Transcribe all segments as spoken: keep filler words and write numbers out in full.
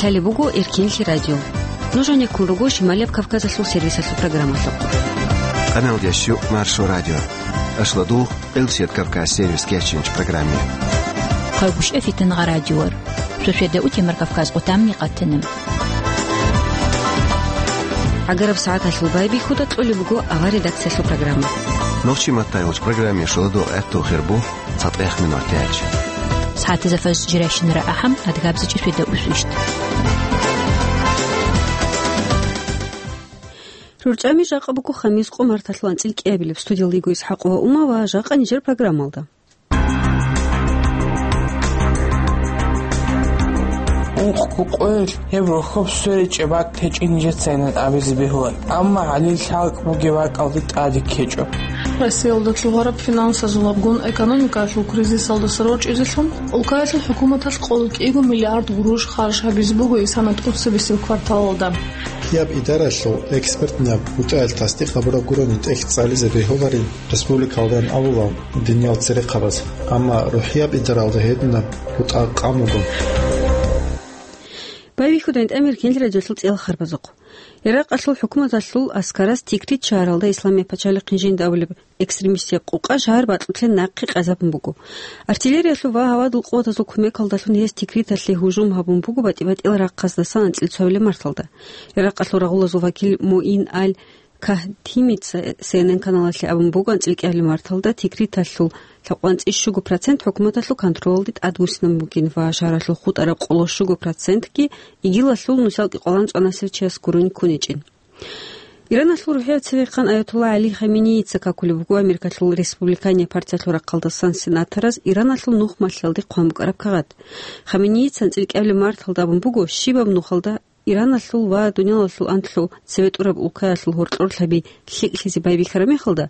Гьале буго Эркенлъи радио. Нуж гьанеккун руго Шималияб Кавказалъул сервисалъул программалъухъ. Къаналдящу Маршо радио. Ашладугъ Элсет Кавказ сервис кечинч программе. Хъайгъушев Фитангъа радиор. Шошеда утемар Кавказ къутамни къатанам. ГӀагараб сагӀаталъул байбихьуда кьолеб буго авар редакциялъул программа. Нохчи маттайгъуч программе шуладугъ гӀатту хирбу. ЦатӀех минутач. СагӀатазда фаз жирайщинара ахӀам, адгабзичӀи светда усвищт. РурчӀами жакъа буго хамис къо марталъул анцӀил кӀиабилеб. Студиялда йиго ИсхӀакъова Ума ва жакъа нижер программалда. Ункъго къоялъ гьеб рохьоб сверичӀеб бакӀ течӀин нижецайинан абизе бегьуларо. Амма гьалил лъалкӀ бугеб бакӀалде тӀаде ккечӀо. Россиялда лъугьараб финансазулабгун экономикаялъул кризисалдаса рорчӀизелъун, улкаялъул хӀукуматалъ къоло кӀиго миллиард гъурущ харж гьабизе буго исана тӀоцебесеб кварталалда. Кияб идаралъул экспертнаб бутӀаялъ тасдикъ гьабураб гурони тӀехь цӀализе бегьуларин республикалдан абула диниял церехъабаз, амма рухӀияб идаралда гьединаб бутӀа къан буго. Байбихьуда гьанже Эркенлъи радиолъул цӀеял харбазухъ. Иракъалъул хӀукуматалъул аскарас Тикрит шагьаралда Исламияб пачалихъин жинда абулеб экстремистиял къукъа шагьар бакьулъе нахъе къазабун буго. Артиллериялъул ва гьавадул къуватазул кумекалдалъун гьес Тикриталъе гьужум гьабун буго батӀи-батӀиял рахъаздасан анцӀила цоабилеб марталда. Иракъалъул рагъулазул вакил Муин аль Кагьтимица Си Эн Эн каналалъе абун буго, анцӀила кӀиабилеб марталда Тикриталъул лъабкъоялда анцӀила щуго процент хӀукуматалъул контролалде тӀадвуссинабун бугин ва шагьаралъул хутӀараб къоло щуго процентги ИГИЛалъул нусал кӀикъоялда анцӀила цӀанасев чияс гурони ккун гьечӀин. Ираналъул рухӀияб цевехъан Аятулла ГӀали Хаменеица какулеб буго Америкалъул Республиканияб партиялъул рахъалдасан сенатораз Ираналъул нух малъиялде хъван букӀараб кагъат. Хаменеица анцӀила кӀиабилеб марталда абун буго, щибаб нухалда Ираналъул ва дуниялалъул анлъго цеве тӀураб улкаялъул гьоркьорлъаби лъикӀлъизе байбихьараб мехалда,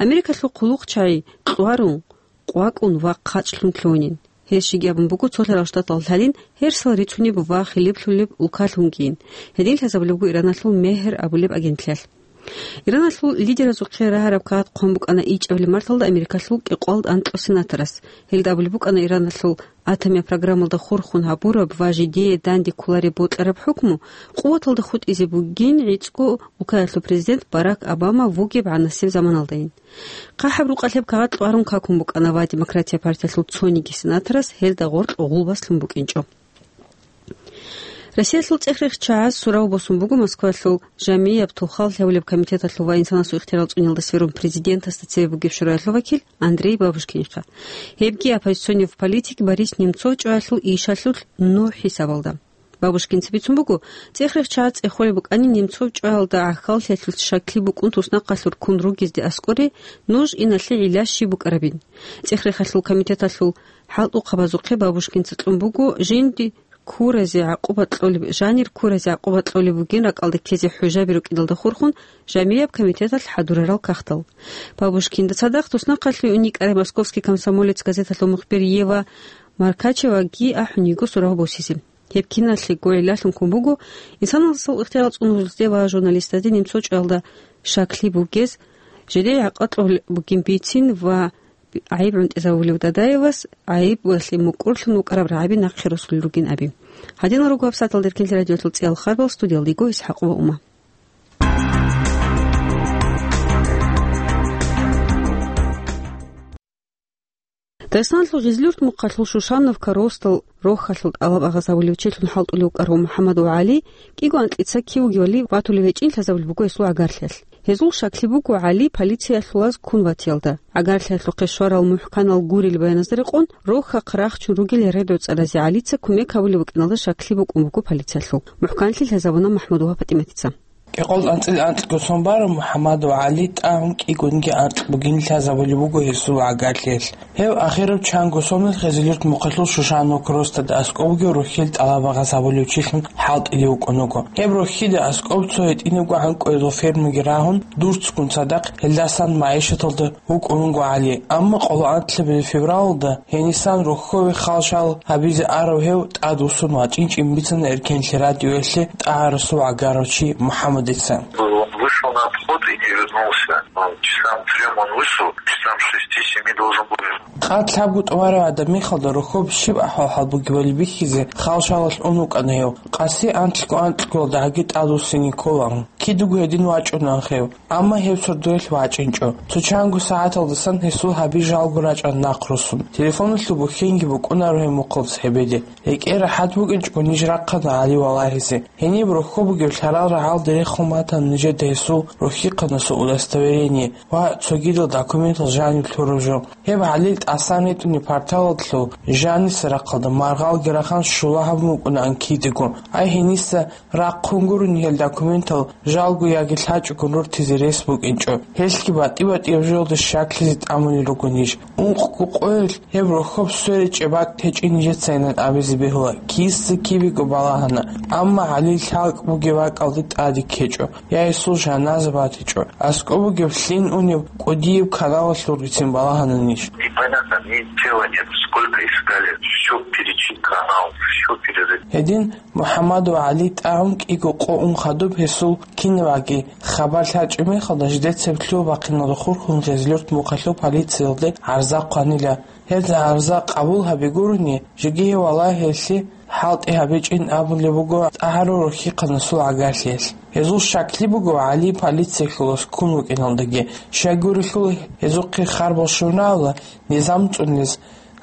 Америкалъул хъулухъчагӀи кьварун, къвакӀун ва хъачӀлъун лъугьунин. Гьес щиб абун буго, цолъарал штатал лъалин гьерсал рицунеб ва хилиплъулеб улкалъунгийин, гьедин лъазабулеб буго Ираналъул «Мегьр» абулеб агентлъиялъ. Ираналъул лидеразухъе рагьараб кагъат хъван букӀана ичӀабилеб марталда Америкалъул кӀикъоялда анкьго сенаторас. Гьелда абулеб букӀана Ираналъул атомияб программалда хурхун гьабураб ва жидее данде кколареб бокьараб хӀукму къуваталда хутӀизе бугин гӀицӀго улкаялъул президент Барак Обама вугеб гӀанасеб заманалдайин. ХъахӀаб рукъалъеб кагъат кьварун какун букӀана ва Демократияб партиялъул цониги сенаторас гьелда гъоркь гъулбас лъун букӀинчӀо. Россиялъул цӀех-рехчагӀаз сурав босун буго Москвалъул жамияб тухал лъавулеб комитеталъул ва инсанасул ихтияр цӀуниялда сверун президентасда цеве бугеб шураялъул вакил Андрей Бабушкинихъа. Гьебги оппозиционный политик Борис Немцов чӀваялъул ишалъулъ нугӀ хӀисабалда. Бабушкинца бицун буго, цӀех-рехчагӀаз цӀехолеб букӀани Немцов чӀваялда гӀахьаллъиялъулъ щаклъи букӀун туснахъалъур ккун ругезде аскӀоре нуж иналъе гӀилла щиб букӀарабин. ЦӀех-рехалъул комитеталъул хӀалтӀухъабазухъе Бабушкинца кьун буго жинди ккуразе гӀакъуба кьолеб, жанир ккуразе гӀакъуба кьолеб бугин ракӀалде ккезе хӀужаби рукӀиналда хурхун, жамияб комитеталъ хӀадурарал кагътал. Бабушкинда цадахъ туснахъалъув уникӀарай «Московский комсомолец» газеталъул мухбир Ева Маркачеваги ахӀун йиго сурав босизе. Гьеб киналъего гӀиллалъун ккун буго, инсанасул ихтияр цӀунулезде ва журналистазде Немцов чӀваялда щаклъи бугез, жидее гӀакъуба кьолеб бугин бицин ва гӀайиб гӀунтӀизавулев Дадаевас гӀайибалъе мукӀурлъун вукӀараб рагӀаби нахъе росулел ругин абун. Гьадинал руго гьабсагӀаталда Эркенлъи радиолъул цӀеял харбал, студиялда йиго ИсхӀакъова Ума. Дагъистаналъул Гъизлюрт мухъалъул Шушановка росдал рохьалъул тӀалаб агъаз гьавулев чилъун хӀалтӀулев вукӀарав МухӀаммадов ГӀали кӀиго анкьица кив вугевали ватулев гьечӀин лъазабулеб буго гьесул гӀагарлъиялъ. Гьезул щаклъи буго ГӀали полициялъулаз ккун ватиялда. ГӀагарлъиялъухъе щварал мухӀканал гурел баяназда рекъон, рохьахъ рахчун ругел рагӀи доцӀаназе ГӀалица кумек гьабулев вукӀиналда щаклъи букӀун буго полициялъул. МухӀканлъи лъазабуна МахӀмудова ПатӀиматица. Кьикъоялда анцӀила анкьго сон барав МухӀаммадов ГӀали тӀагӀун кӀигунги анкь бугин лъазабулеб буго гьесул гӀагарлъиялъ. Гьев ахирав чанго соналъ Гъизлюрт мухъалъул Шушановка росдада аскӀов вугев рохьил тӀалаб агъаз гьавулев чилъун хӀалтӀулев вукӀун вуго. Гьеб рохьида аскӀов цо гьитӀинабго гӀанкӀуязул фермаги рагьун, дурцгун цадахъ гьелдасан магӀишаталда вукӀун вуго ГӀали. Амма къоло анлъабилеб февралалда гьенисан рохьове хал-шал гьабизе арав гьев тӀадвуссун вачӀинчӀин бицана Эркенлъи радиоялъе тӀагӀарасул гӀагарав чи МухӀаммадица. На обход и не вернулся. Ну, часам трём он вышел, часам шести-семи должен был вернуться. Къад лъабго тӀубараб гӀадамихалда рохьоб щиб ахӀвал-хӀал бугебали бихьизе халшалалъ ун вукӀана гьев. Къаси анкьго-анкьго дагьги тӀадвуссине кколаан. Кидаго гьедин вачӀунаан гьев. Амма гьев сордоялъ вачӀинчӀо. Цо чанго сагӀаталдасан гьесул гьаби жалго рачӀана нахъ руссун. Телефоналъул бухьенги букӀунаро гьеб мухъалда цебеде. РекӀел рахӀат букӀинчӀого ниж рахъана ГӀали валагьизе. Гьениб рохьо бугеб лъарал рагӀалде рехун батана нижеда гьесул рохьихъанасул удостоверение ва цогидал документал жаниб лъураб жо. Гьеб ГӀалил тӀасан ретӀунеб порталалъул жаниса рахъалда маргъалги рахан щула гьабун букӀунаан кидаго. Ай гьениса рахъун гурони гьел документал жалго яги лъачӀого рортизе рес букӀинчӀо. Гьелъги батӀи-батӀияб жоялда щаклъизе тӀамулел руго ниж. Ункъго къоялъ гьеб рохьоб сверечӀеб бакӀ гьечӀин нижецайилан абизе бегьула, киса кибего балагьана, амма ГӀалил лъалкӀ бугеб бакӀалде тӀаде ккечӀо, я гьесул жаназа батичӀо. АскӀоб бугеб лъин унеб кӀудияб каналалъулгицин балагьана ниж. Непонятно, ни тела нет, сколько искали, всё перечистили, канал, всё перерыли. Гьедин МухӀаммад ва ГӀали тӀагӀун кӀиго къо ун хадуб гьесул кинабаги хабар лъачӀеб мехалда, жидецаби лъугьа-бахъиналда хурхун Гъезлъюрт мухъалъул полициялде гӀарза хъванила. Гьез гӀарза къабул гьаби гурони, жеги гьев валагьиялъе хӀалтӀи гьабичӀин абулеб буго тӀагӀарав рохьихъанасул гӀагарлъиялъ. Гьезул щаклъи буго ГӀали полициялъулас ккун вукӀиналдаги, щайгурелъул гьезухъе харбал щун рагӀула низам цӀунез,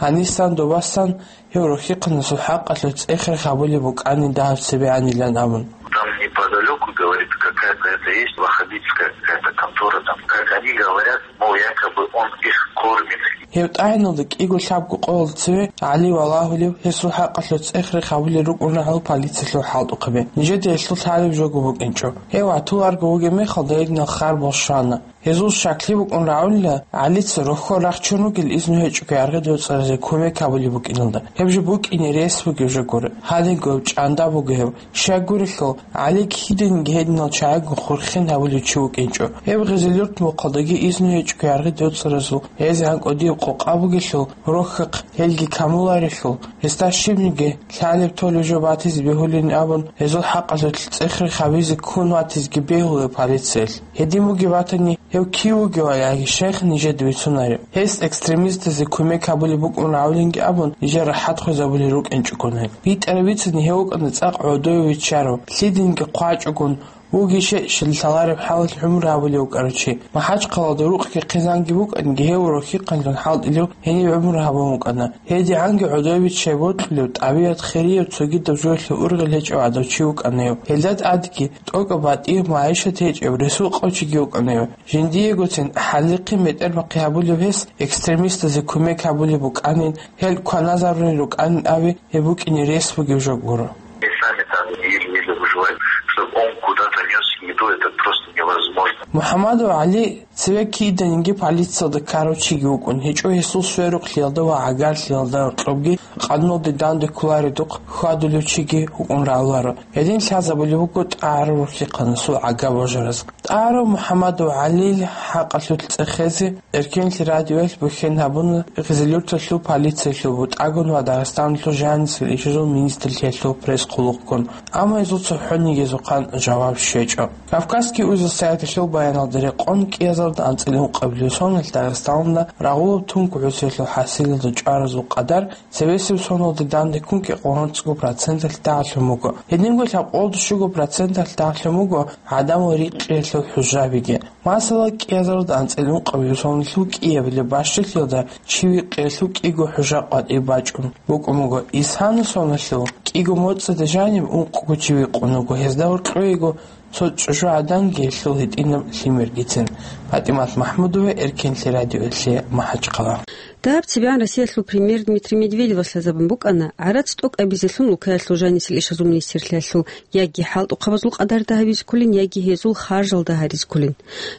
гьанисан добасан гьев рохьихъанасул хӀакъалъулъ цӀех-рех гьабулеб букӀани дагьаб цебегӀанилан абун. Там неподалеку, говорит, какая-то это есть, ваххабитская какая-то контора, там, как они говорят, мол, якобы он их кормит. Гьев тӀагӀиналда кӀиго лъабго къоялда цеве ГӀали валагьулев, гьесул хӀакъалъулъ цӀех-рех гьабулел рукӀун рагӀула полициялъул хӀалтӀухъаби. Нижеда гьелъул лъалеб жого букӀинчӀо. Гьев гьатуларого вугеб мехалда гьединал харбал щвана. Гьезул щаклъи букӀун рагӀула, ГӀалица рохьо рахчун ругел изну гьечӀого яргъи доцӀаразе кумек гьабулеб букӀиналда. Гьеб жо букӀине рес бугеб жо гуро. Гьадинго гьев чӀанда буго гьев. Щайгурелъул, ГӀали киданиги гьединал чагӀиго хурхен гьабулев чи вукӀинчӀо. Гьев Гъезлъюрт мухъалдаги изну гьечӀого яргъи доцӀаразул гьезегӀан кӀудияб къокъа бугелъул, рохьахъ гьелги камуларелъул, гьесда щибниги лъалеб-толеб жо батизе бегьулин абун, гьезул хӀакъалъулъ цӀех-рех гьабизе ккун ватизеги бегьула полициялъ. Гьедин бугеб батани, гьев кив вугевали яги шайх нижеда бицунареб. Гьес экстремистазе кумек гьабулеб букӀун рагӀулинги абун, нижер рахӀат хвезабулел рукӀинчӀогони. БитӀараб бицани гьев вукӀана цӀакъ гӀодове виччарав, лъидинги хъвачӀогун, вугищ щай лъалареб хӀалалъ гӀумру гьабулев вукӀарав чи. МахӀачхъалаялда рукъги хъизанги букӀанги, гьев рохьихъанлъун хӀалтӀилев гьениб гӀумру гьабун вукӀана. ГьедигӀанги гӀодове виччай бокьулев, тӀабигӀат хирияб, цогидаб жоялъул ургъел гьечӀев гӀадав чи вукӀана гьев. Гьелда тӀадги, тӀокӀаб батӀияб магӀишат гьечӀеб, ресул къав чиги вукӀана гьев. Жиндиегоцин хӀалихъи метӀербахъи гьабулев гьес, экстремистазе кумек гьабулеб букӀанин, гьел кваназарулел рукӀанин аби, гьеб букӀине рес бугеб жо гуро. И сами там еле-еле выживают. Чтобы он куда-то нёс еду, это просто невозможно. МухӀаммадов ГӀали цеве киданиги полициялда ккарав чиги вукӀун гьечӀо, гьесул сверухълъиялда ва гӀагарлъиялда гьоркьобги къануналде данде кколаредухъ хьвадулев чиги вукӀун рагӀуларо. Гьедин лъазабулеб буго тӀагӀарав рухӀихъанасул гӀага божараз. ТӀагӀарав МухӀаммадов ГӀалил хӀакъалъулъ цӀехезе Эркенлъи радиоялъ бухьен гьабуна Гъизилюрталъул полициялъул бутӀагун ва Дагъистаналъул жанисел ишазул министрлъиялъул пресс-хъулухъгун, амма гьезул цохӀониги гьезухъан жаваб щвечӀо. Кавказский узел сайталъул баяналда рекъон, кӀиазарда анцӀила ункъабилеб соналъ Дагъистаналда рагъулаб тункӀ гӀусиялъул хӀасилалда чӀваразул къадар цебесеб соналда данде ккун кӀикъоялда цӀикӀго проценталъ дагьлъун буго. Гьединго лъабкъоялда щуго проценталъ дагьлъун буго гӀадамал рикъиялъул хӀужабиги. Масала, кӀиазарда анцӀила ункъабилеб соналъул кӀиабилеб бащалъиялда чи викъиялъул кӀиго хӀужа къватӀиб бачӀун букӀун буго. Исгьанул соналъул кӀиго моцӀида жаниб ункъго чи викъун вуго, гьезда гьоркьоего цо чӀужугӀаданги гьелъул гьитӀинаб лъимергицин. ПатӀимат МахӀмудова, Эркенлъи радиоялъе, МахӀачхъала. Дагьаб цебегӀан Россиялъул премьер Дмитрий Медведевас лъазабун букӀана гӀарац тӀокӀабизелъун улкаялъул жанисел ишазул министрлъиялъул яги хӀалтӀухъабазул къадарда гьабизе кколин, яги гьезул харжалда гьаризе кколин.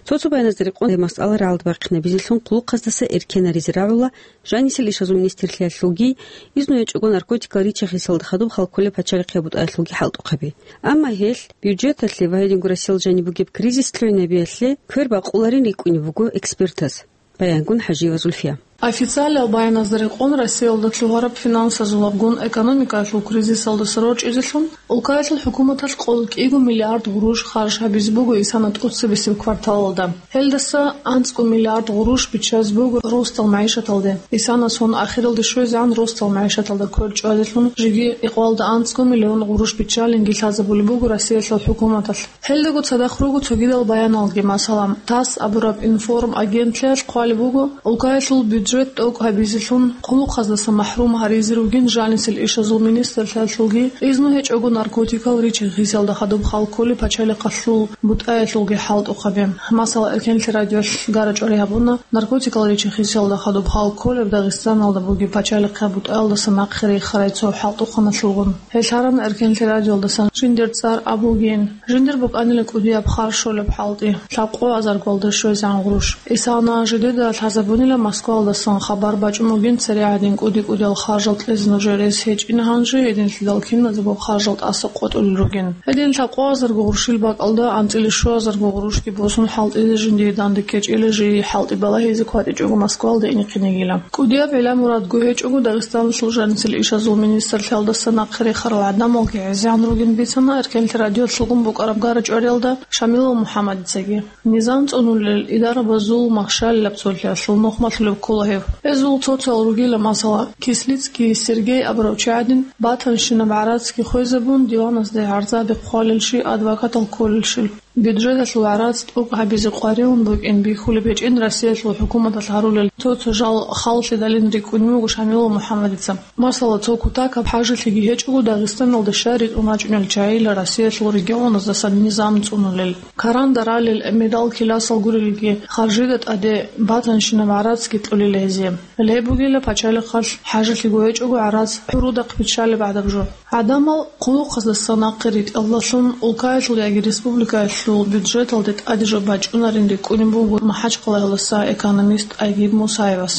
Цо-цо баяназда рекъон, гьеб масъала рагӀалде бахъинабизелъун хъулухъаздаса эркенаризе рагӀула жанисел ишазул министрлъиялъулги, изну гьечӀого наркотикал рича-хисалда хадуб хал кколеб пачалихъияб бутӀаялъулги хӀалтӀухъаби. Амма гьелъ бюджеталъе ва гьединго Россиялда жаниб бугеб кризис лъугӀинабиялъе квер бакъуларин рикӀкӀунеб буго экспертаз. Баянгун ХӀажиева Зульфия. Официалиял баяназда рекъон, Россиялда лъугьараб финансазул абгун экономикаялъул кризисалдаса рорчӀизелъун, улкаялъул хӀукуматалъ къоло кӀиго миллиард гъурущ харж гьабизе буго исана тӀоцебесеб кварталалда. Гьелдаса анцӀго миллиард гъурущ биччазе буго росдал магӀишаталде. Исана сон ахиралде щвезегӀан росдал магӀишаталда квер чӀвазелъун жеги икъвалда анцӀго миллион гъурущ биччалинги лъазабулеб буго Россиялъул хӀукуматалъ. Гьелдаго цадахъ руго цогидал баяналги, масала, тасс абураб информагентлъиялъ хъвалеб буго, улкаялъул бюджет тӀокӀ гьабизелъун, хъулухъаздаса махӀрум гьаризе ругин жанисел ишазул министрлъиялъулги, изну гьечӀого наркотикал ричи-хисиялда хадуб хал кколеб пачалихъалъул бутӀаялъулги хӀалтӀухъаби. Масала, Эркенлъи радиоялъ гара-чӀвари гьабуна наркотикал ричи-хисиялда хадуб хал кколеб Дагъистаналда бугеб пачалихъ бутӀаялдаса нахъе рехарай цо хӀалтӀухъаналъулгун. Гьелъ гьарана Эркенлъи радиоялдасан жиндир цӀар абугейин. Жиндир букӀанила кӀудияб хар щолеб хӀалтӀи, лъабкъоязарго алда щвезегӀан гъурущ. Исана жидеда лъазабунила Москваялдасан хабар бачӀун бугин, цере гӀадин кӀуди-кӀудиял харжал кьезе нужее рес гьечӀин, гьанже гьединлъидал киназего харжал тӀаса къотӀулел ругин. Гьедин лъабкъоязарго гъурущил бакӀалда анцӀила щуязарго гъурущги босун хӀалтӀизе жиндие данде ккечӀила, жий хӀалтӀи балагьизе кватӀичӀого Москваялда инехъин йигила. КӀудияб гӀилла-мурадго гьечӀого Дагъистаналъул жанисел ишазул министрлъиялдаса нахъе рехарал гӀадамалги гӀезегӀан ругин бицана Эркенлъи радиоялъулгун букӀараб гара-чӀвариялда Шамилов МухӀаммадицаги. Низам цӀунулел, идарабазул махщалилаб цолъиялъул нухмалъулеб ккола гьев. Гьезул цоцал ругила, масала, Кислицкий Сергей абурав чи гӀадин, батанщинаб гӀарацги хвезабун, диваназде гӀарзаби хъвалелщи, адвокатал кколелщил. Бюджеталъул гӀарац тӀокӀ гьабизе къваригӀун букӀин бихьулеб гьечӀин Россиялъул хӀукуматалъ гьарулел цо-цо жал халлъидалин рикӀкӀунев вуго Шамилов МухӀаммадица. Масала, цо кутакаб хӀажалъиги гьечӀого Дагъистаналда щай ритӀун рачӀунел чагӀила Россиялъул регионаздасан низам цӀунулел. Каранда ралел, медал-киласал гурелги, харжида тӀаде батанщинаб гӀарацги кьолила гьезие. Гьеб бугила пачалихъалъ хӀажалъиго гьечӀого гӀарац гӀурудахъ биччалеб гӀадаб жо. ГӀадамал хъулухъаздаса нахъе ритӀалдалъун улкаялъул яги республикаялъул бюджеталде тӀаде жо бачӀунарин рикӀкӀунеб буго МахӀачхъалаялдаса экономист Айгиб Мусаевас.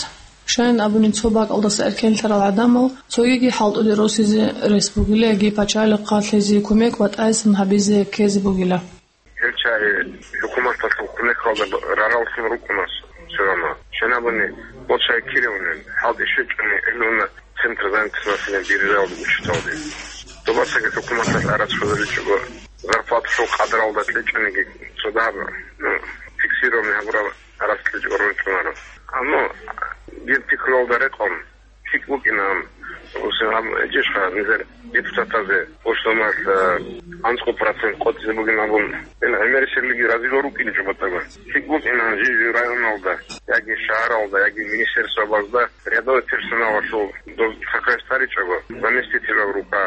Щайин абуни, цо бакӀалдаса эркенлъарал гӀадамал цогиги хӀалтӀуде росизе рес бугила яги пачалихъалъ гьезие кумек батӀайсан гьабизе ккезе бугила. Гьел чагӀи хӀукуматалъул кумекалда рараллъун рукӀуна сверана. Щайин абуни, гъо чагӀи киравунин, хӀалтӀи щвечӀони гӀелуна центр занятости населения биржаялда учиталде. Добасаги хӀукуматалъ гӀарац хвезабичӀого, зарплаталъул къадралда кьечӀониги цо дагьаб, ну, фиксированный гьабураб гӀарац кьечӀого рорчӀунаро. Амма дир пикруялда рекъон, лъикӀ букӀинан, гьесин гьаб гьечӀищха нилъер депутатазе, госдумаялъ, э, анцӀго процент къотӀизе бугин абун, ил гӀемерисеблъиги разилъун рукӀинчӀо батӀаго. ЛъикӀ букӀинан жий-жий районалда, яги шагьаралда, яги министерствабазда рядовой персоналалъул доз сокращать гьаричӀого, заместителал рука,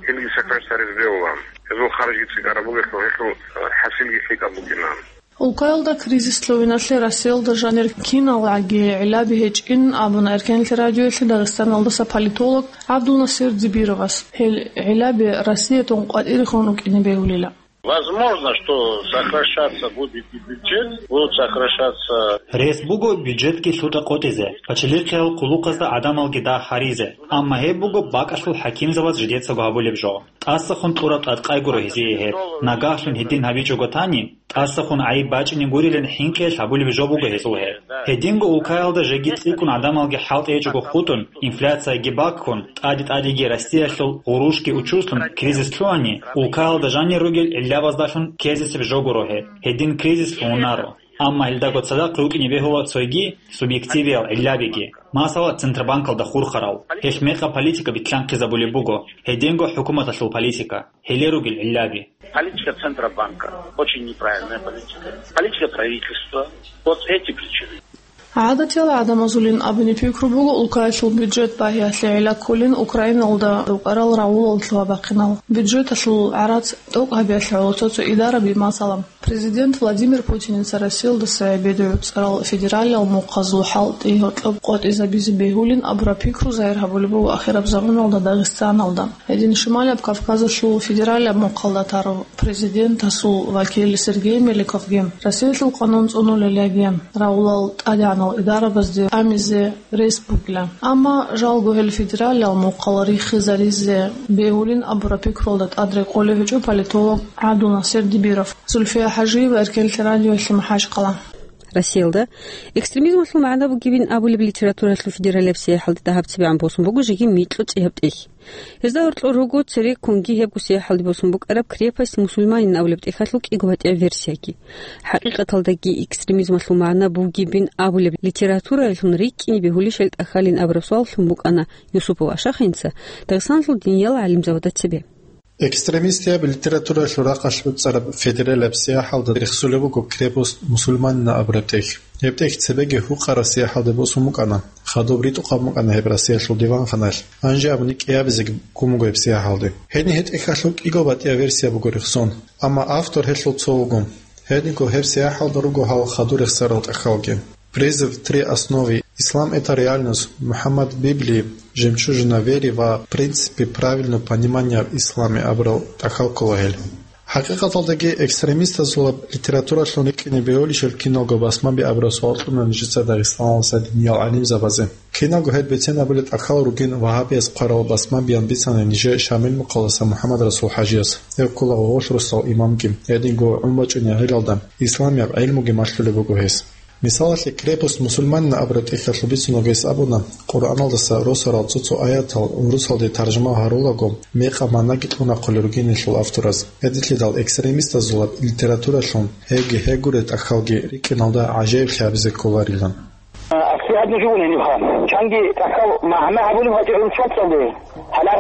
гьелги сокращать гьаризе бегьулан. Гьезул харжги цӀикӀкӀараб бугелъул, гьелъул, э, хӀасилги лъикӀаб букӀинан. Улкаялда кризис лъугӀиналъе Россиялда жанир киналгӀаги гӀиллаби гьечӀин абуна Эркенлъи радиоялъе Дагъистаналдаса политолог ГӀабдулнасир Дибировас. Гьел гӀиллаби Россиятун къватӀирехун рукӀине бегьулила. Возможно, что сокращаться будет и бюджет, будут сокращаться. Рес буго бюджетги лъутӀа къотӀизе, пачалихъиял хъулухъазда гӀадамалги дагь гьаризе, амма гьеб буго бакӀалъул хӀакимзабаз жидецаго гьабулеб жо. ТӀасахун кьураб тӀадкъай гуро гьезие гьеб. Нагагьлъун гьедин гьабичӀого тани, тӀасахун гӀайиб бачӀине гурилан хӀинкъиялъ гьабулеб жо буго гьезул гьеб. Гьединго улкаялда жеги цӀикӀкӀун гӀадамалги хӀалтӀи гьечӀого хутӀун, инфляцияги баккун, тӀаде-тӀадеги Россиялъул гъурущги учуслъун кризис лъугьани, улкаялда жанир ругел гӀиллабаздалъун ккезесеб жо гуро гьеб. Гьедин кризис лъугьунаро. Амма гьелдаго цадахъ рукӀине бегьула цойги субъективиял гӀиллабиги. Масала, Центробанкалда хурхарал, гьелъ мекъаб политика битлъанхъизабулеб буго, гьединго хӀукуматалъул политика. Гьеле ругел гӀиллаби. Политика Центробанка очень неправильная политика. Политика правительства. Вот эти причины. ГӀадатиял гӀадамазулин абуни пикру буго, улкаялъул бюджет багьиялъе гӀилла кколин Украиналда рукӀарал рагӀулал лъугьа-бахъинал. Бюджеталъул гӀарац тӀокӀ гьабиялъе гӀоло цо-цо идараби, масала, Президент Владимир Путиница Россиялдаса гӀебедугӀуцӀарал федералиял мухъазул хӀалтӀи гьоркьоб къотӀизабизе бегьулин абураб пикру загьир гьабулеб буго ахираб заманалда Дагъистаналда. Гьедин Шималияб Кавказалъул федералияб мухъалда тарав президентасул вакил Сергей Меликовги Россиялъул къанун цӀунулел яги рагӀулал тӀадегӀанал идарабазде тӀамизе рес бугила. Амма жалго гьел федералиял мухъал риххизаризе бегьулин абураб пикрулда тӀад рекъолев гьечӀо политолог ГӀабдулнасир Дибиров. Зульфия ХӀажиева, Эркенлъи радиоялъе МахӀачхъала. Россиялда экстремизмалъул магӀна бугебин абулеб литературалъул федералияб сияхӀалде дагьаб цебегӀан босун буго жеги микьго цӀияб тӀехь. Гьезда гьоркьор руго цереккунги гьебго сияхӀалде босун букӀараб «Крепость мусульманина» абулеб тӀехьалъул кӀиго батӀияб версияги. ХӀакъикъаталдаги экстремизмалъул магӀна бугебин абулеб литературалъун рикӀкӀине бегьулищал тӀахьалин абураб суаллъун букӀана Юсупов Ашахинца Дагъистаналъул диниял гӀалимзабазда цебе. Экстремистияб литературалъул рахъалъ буцӀараб федералияб сияхӀалда рехсулеб буго «Крепость мусульманина» абураб тӀехь. Гьеб тӀехь цебеги гьукъараб сияхӀалде босун букӀана. Хадуб ритӀухъаб букӀана гьеб Россиялъул диванханалъ. Гьанже абуни кӀиабизеги гун буго гьеб сияхӀалде. Гьедин гьеб тӀехьалъул кӀиго батӀияб версия буго рехсон, амма автор гьелъул цо вуго. Гьединго гьеб сияхӀалда руго гьал хадур рехсарал тӀахьалги. «Призыв», «Три основы», «Ислам — это реальность», «Мухаммад Библии», «Жемчужина веры» ва «Принципы правильного понимания в исламе» абурал тӀахьал ккола гьел. ХӀакъикъаталдаги экстремистазулаб литературалъун рикӀкӀине бегьулищал киналго басмаби абураб суал кьуна нижеца Дагъистаналдаса диниял гӀалимзабазе. Киналго гьел бицен абулел тӀахьал ругин вагьабияз хъварал басмабиян бицана нижее Шамил мухъалдаса МухӀаммад-Расул ХӀажияс. Гьев ккола гъогъолъ росдал имамги, гьединго гӀун бачӀунеб гӀелалда исламияб гӀелмуги малъулеб буго гьес. Мисалалъе, «Крепость мусульманина» абураб тӀехьалъул бицунеб гьес абуна, Къуръаналдаса росарал цо-цо аятал урусалде таржума гьарулаго, мекъаб магӀнаги кьунахъулел ругин гьелъул автораз. Гьединлъидал экстремистазулаб литературалъун гьевги гьев гурел тӀахьалги рикӀкӀиналда гӀажаиблъи гьабизе кколарилан. Аслияб нуж вугин гьенибха. Чанги тӀахьал магӀна гьабулеб гьечӀо гӀурусмацӀалде. Гьале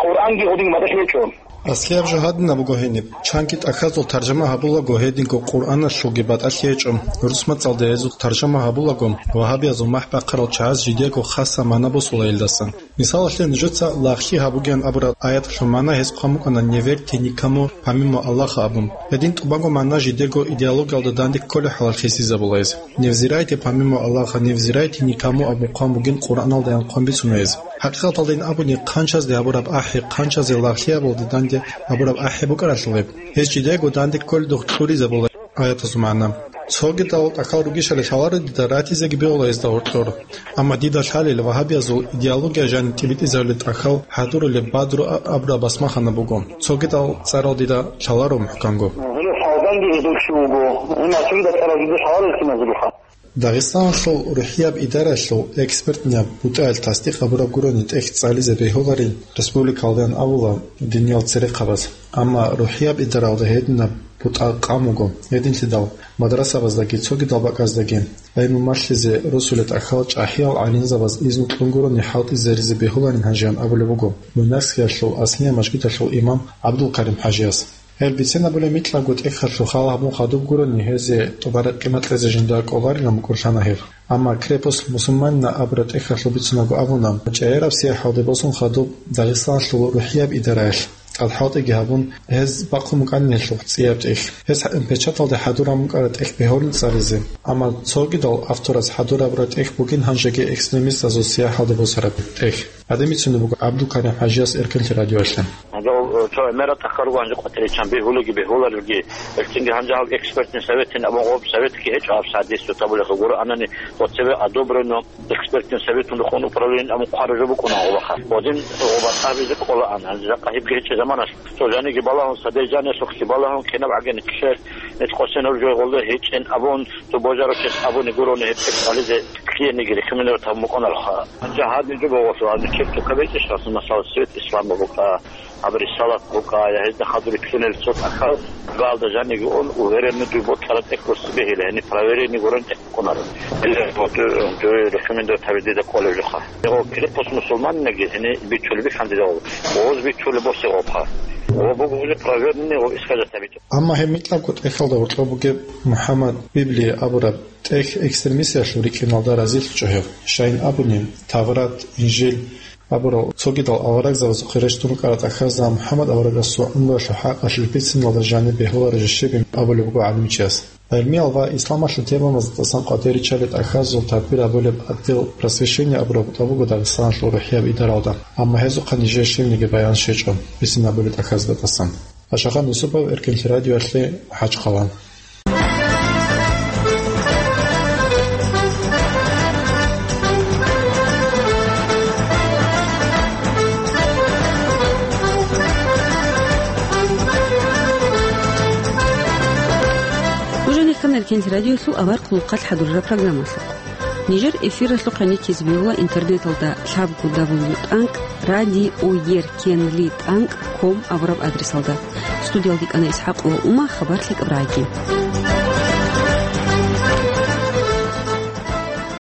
Къуръанги гьудин батӀалъи гьечӀо. Аслияб жо гьадинаб буго гьениб. Чанги тӀахьазул таржума гьабулаго, гьединго Къуръаналъулги батӀалъи гьечӀо. ГӀурусмацӀалде гьезул таржума гьабулаго, вагьабиязул махӀ бахъарал чагӀаз жидего хаса магӀна босула гьелдаса. Мисалалъе, нужеца «Лагълъи гьабугеян» абураб аяталъул магӀна гьез хъван букӀана: «Не верьте никому помимо Аллаха», – абун. Гьедин тӀубанго магӀна жидего идеологиялда данде кколеб хӀалалъ хисизабула гьез. «Не взирайте помимо Аллаха, не взирайте никому» абун хъван бугин Къуръаналдаян хъван бицуна гьез. ХӀакъикъаталдайин абуни, хъанчазде гьабураб ахӀи, хъанчазе лагълъи гьабулде данде гьабураб ахӀи букӀаралъул гьеб. Гьез жидего данде кколедухъ кьуризабула аятазул магӀна. Цогидал тӀахьал ругищали лъаларо дида, ратизеги бегьула гьезда гьоркьор. Амма дида лъалел вагьабиязул идеология жаниб тӀибитӀизабулел тӀахьал хӀадурулеб «Бадру» а-, абураб басмахана буго. Цогидал цӀарал дида лъаларо мухӀканго. Гьеле лъалданги гьезул чи вуго. Гьениб цогидал цӀарал дида лъаларо киназулха. Дагъистаналъул рухӀияб идаралъул экспертнаб бутӀаялъ тасдикъ гьабураб гурони тӀехь цӀализе бегьуларин республикалдаян абула диниял церехъабаз. Амма рухӀияб идаралда гьединаб бутӀа къан буго, гьединлъидал мадрасабаздаги цогидал бакӀаздаги гӀелму малъизе росулел тӀахьал чӀахӀиял гӀалимзабаз изну кьун гурони хӀалтӀизе ризе бегьуларин гьанжеян абулеб буго Буйнакскиялъул аслияб мажгиталъул имам ГӀабдулкарим ХӀажияс. Гьел бицен абулеб микьабго тӀехьалъул хал гьабун хадуб гурони гьезие тӀубараб къимат кьезе жинда кӀоларилан букӀурлъана гьеб. Амма «Крепость мусульманина» абураб тӀехьалъул бицунаго абуна, чӀегӀераб сияхӀалде босун хадуб Дагъистаналъул рухӀияб идараялъ тӀадхӀалтӀиги гьабун, гьез бахъун букӀанин гьелъул цӀияб тӀехь. Гьес печаталде хӀадураб букӀараб тӀехь бегьулин цӀализе. Амма цогидал автораз хӀадурабураб тӀехь бугин гьанжеги экстремистазул сияхӀалде босараб тӀехь. Гьадин бицунеб буго ГӀабдулкарим ХӀажияс Эркенлъи радиоялъе. Гьанже гьав, э, цо гӀемерал тӀахьал руго, гьанже къватӀире чан бегьулеги бегьуларевги, гьелъинги гьанже гьав экспертный советин абун гъоб советги гьечӀо гьаб садис, вот абулехъе гуро анани, вот цебе одобрено экспертный советун рухун управлениен абун хъвараб жо букӀуна гъобаха. Гъодин гъоба тӀабизе кӀолаан, гьанже жакъа гьебги гьечӀеб заманалъ. Цо жаниги балагьун, садей жаниялъухъги балагьун, кинаб гӀагин ккелъ, нилъ къосинаб жо гъолда гьечӀин абун, цо божарав чияс абуни гурони гьеб тӀехь цӀализе ккеениги рекомендовать гьабун букӀунароха. Гьанже гьадин жо богъолъул, гьанже черту кабечӀищ расул масала свет ислама букӀа, аб рисалат букӀа, я гьезда хадур риккунел цо тӀахьал, галда жаниги ун, уверенный дуй бокьараб тӀехь гурони бегьила, гьениб проверение гурони тӀехь букӀунаро. Или вот, э, дуе рекомендовать гьабизе дида кӀолеб жоха. Гьев «Крепость мусульманина»ги гьениб бичулеб бихьан дида гъоб. Гъоз бичулеб босе гъобха. Гъоб буго уже проверенный, гъоб исхажат гьабичӀо. Амма гьеб микьабго тӀехьалда гьоркьоб бугеб МухӀаммад Библия абураб тӀехь экстремистиялъул рикӀкӀиналда разилъичӀо гьев. Щайин абуни, Таврат, Инжил абурал цогидал аварагзабазухъе рещтӀун рукӀарал тӀахьазда МухӀаммад аварагасул гӀумруялъул хӀакъалъулъ бициналда жаниб бегьулареб жо щибин абулеб буго гӀалимчияс. ГӀелмиял ва исламалъул темабазда тӀасан къватӀир риччалел тӀахьазул тадбир гьабулеб отдел просвещения абураб бутӀа буго Дагъистаналъул рухӀияб идаралда, амма гьезухъа нижее щибниги баян щвечӀо, бицин гьабулел тӀахьазда тӀасан. Ашахан Юсупов, Эркенлъи радиоялъе, МахӀачхъала. Нуж гьанир Кенс радиолъул авар хъулухъалъ хӀадурараб программалъухъ. Нижер эфиралъухъ гьаниккизе бегьула интернеталда лъабго дабл ю тӀанкӀ радиоеркенлитӀанкӀ ком абураб адресалда. Студиялда кӀана ИсхӀакъова Ума, хабар лъикӀаб рагӀаги.